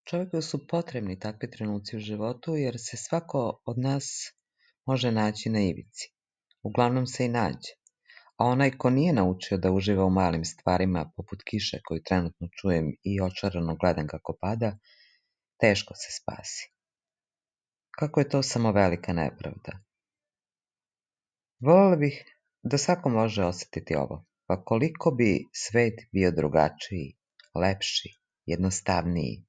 Čovjeku su potrebni takvi trenuci u životu jer se svako od nas može naći na ivici. Uglavnom se i nađe. A onaj ko nije naučio da uživa u malim stvarima, poput kiše koju trenutno čujem i očarano gledam kako pada, teško se spasi. Kako je to samo velika nepravda. Voljela bih da svako može osjetiti ovo, pa koliko bi svet bio drugačiji, lepši, jednostavniji,